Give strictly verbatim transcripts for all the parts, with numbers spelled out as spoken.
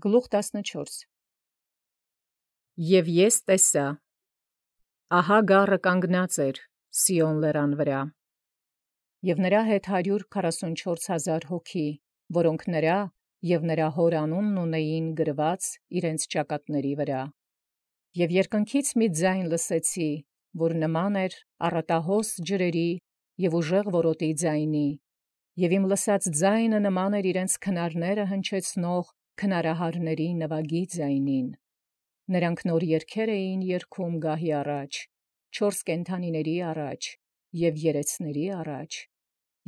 Գլուխ տասնչորս Եւ ես տեսա, ահա գառը կանգնած էր Սիոն լերան վրա, եւ նրա հետ հարյուր քառասունչորս հազար հոգի, որոնք նրա եւ նրա հոր անունն ունեին գրված իրենց ճակատների վրա. եւ երկնքից մի ձայն լսեցի, որ նման էր առատահոս ջրերի եւ ուժեղ որոտի ձայնի, եւ իմ լսած ձայնը նման էր իրենց քնարները հնչեցնող քնարահարների նվագի ձայնին. նրանք նոր երգեր էին երգում գահի առաջ, չորս կենդանիների առաջ եւ երեցների առաջ,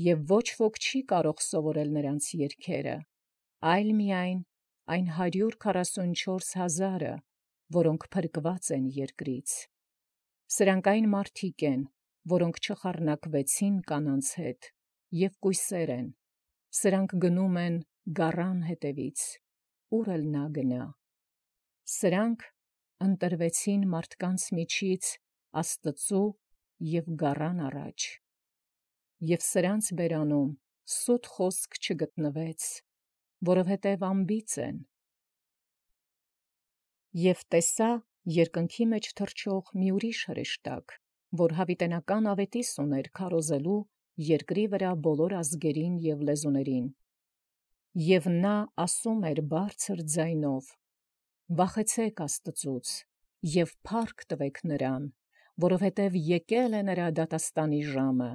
եւ ոչ ոք չի կարող սովորել նրանց երգերը, այլ միայն այն հարյուր քառասունչորս հազարը, որոնք փրկված են երկրից. սրանք այն մարդիկ են, որոնք չխառնակվեցին կանանց հետ, եւ կույսեր են, սրանք գնում են գառան հետևից, ուր էլ նա գնա. սրանք ընտրվեցին մարդկանց միջից Աստծու եւ գառան առաջ, եւ սրանց բերանում սուտ խոսք չգտնվեց, որովհետև անբիծ են. եւ տեսա երկնքի մեջ թռչող մի ուրիշ հրեշտակ, որ յաւիտենական աւետիս ուներ քարոզելու երկրի վրա բոլոր ազգերին եւ լեզուներին, եւ նա ասում էր բարձր ձայնով. վախեցեք Աստծուց եւ փառք տվեք նրան, որովհետև եկել է նրա դատաստանի ժամը,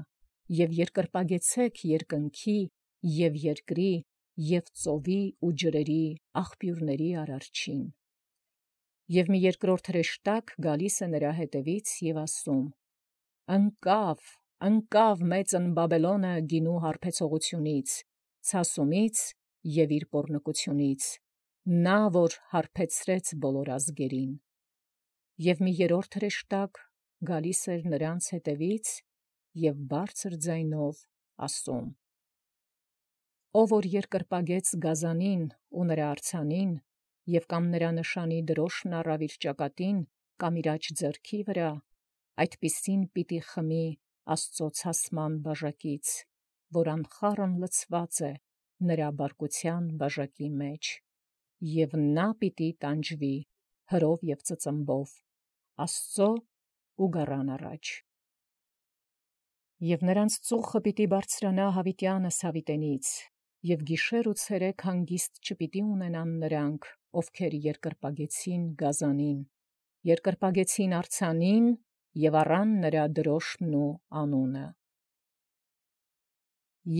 եւ երկրպագեցեք երկնքի եւ երկրի եւ ծովի ու ջրերի աղբյուրների արարչին. եւ մի երկրորդ հրեշտակ գալիս է նրա հետևից եւ ասում. ընկավ, ընկավ մեծն Բաբելոնը գինու հարբեցողությունից, ցասումից եւ իր պոռնկությունից, նա որ հարբեցրեց բոլոր ազգերին. եւ մի երրորդ հրեշտակ գալիս էր նրանց հետևից եւ բարձր ձայնով ասում. ով որ երկրպագեց գազանին ու նրա արձանին, եւ կամ նրա նշանի դրոշն առավ իր ճակատին կամ իր աջ ձեռքի վրա, այդպիսին պիտի խմի Աստծո ցասման բաժակից, որ անխառն լցված է նրա բարկության բաժակի մեջ, եւ նա պիտի տանջվի հրով եւ ծծմբով Աստծո ու գառան առաջ. եւ նրանց ծուխը պիտի բարձրանա յաւիտյանս յաւիտենից, եւ գիշեր ու ցերեկ հանգիստ չպիտի ունենան նրանք, ովքեր երկրպագեցին գազանին, երկրպագեցին արձանին եւ առան նրա դրոշմն ու անունը.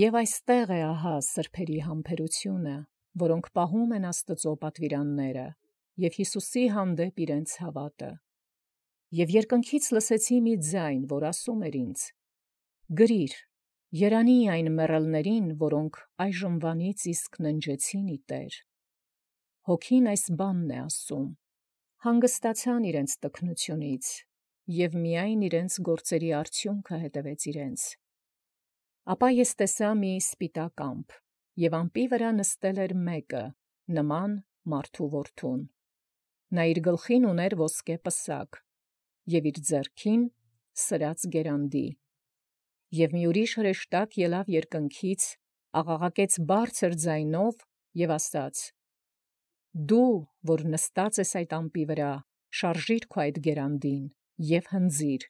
Եւ այստեղ է ահա սրբերի համբերությունը, որոնք պահում են Աստծո պատվիրանները եւ Յիսուսի հանդեպ իրենց հաւատը. եւ երկնքից լսեցի մի ձայն, որ ասում էր ինձ. գրիր, երանի այն մեռելներին, որոնք այժմվանից իսկ ննջեցին ի Տեր. հոգին այս բանն է ասում. հանգստացան իրենց տքնությունից, եւ միայն իրենց գործերի արդյունքը հետևեց իրենց. ապա ես տեսա մի սպիտակ ամպ, եւ ամպի վրա նստել էր մեկը, նման մարդու որդուն. նա իր գլխին ուներ ոսկե պսակ, եւ իր ձեռքին սրած գերանդի. եւ մի ուրիշ հրեշտակ ելավ երկնքից, աղաղակեց բարձր ձայնով եւ ասաց. դու, որ նստած ես այդ ամպի վրա, շարժիր քո այդ գերանդին եւ հնձիր,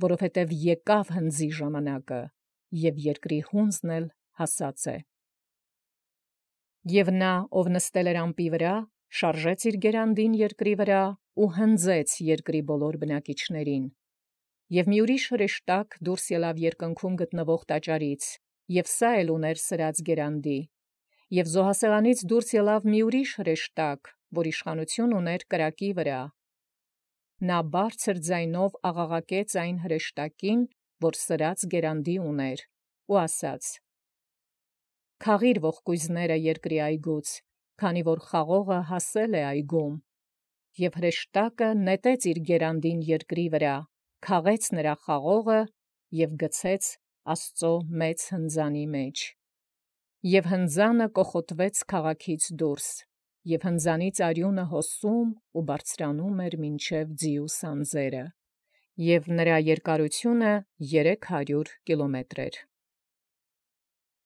որովհետեւ եկավ հնձի ժամանակը, եւ երկրի հունձն էլ հասած է. եւ նա, ով նստել էր ամպի վրա, շարժեց իր գերանդին երկրի վրա ու հնձեց երկրի բոլոր բնակիչներին. եւ մի ուրիշ հրեշտակ դուրս ելավ երկնքում գտնվող տաճարից, եւ սա էլ ուներ սրած գերանդի. եւ զոհասեղանից դուրս ելավ մի ուրիշ հրեշտակ, որ իշխանություն ուներ կրակի վրա. նա բարձր ձայնով աղաղակեց այն հրեշտակին, որ սրած գերանդի ուներ, ու ասաց. քաղիր ողկույզները երկրի այգուց, քանի որ խաղողը հասել է այգում. եւ հրեշտակը նետեց իր գերանդին երկրի վրա, քաղեց նրա խաղողը եւ գցեց Աստծո մեծ հնձանի մեջ. եւ հնձանը կոխոտվեց քաղաքից դուրս, եւ հնձանից արյունը հոսում ու բարձրանում էր մինչև ձիու սանձերը, եւ նրա երկարությունը երեք հարյուր կիլոմետր էր։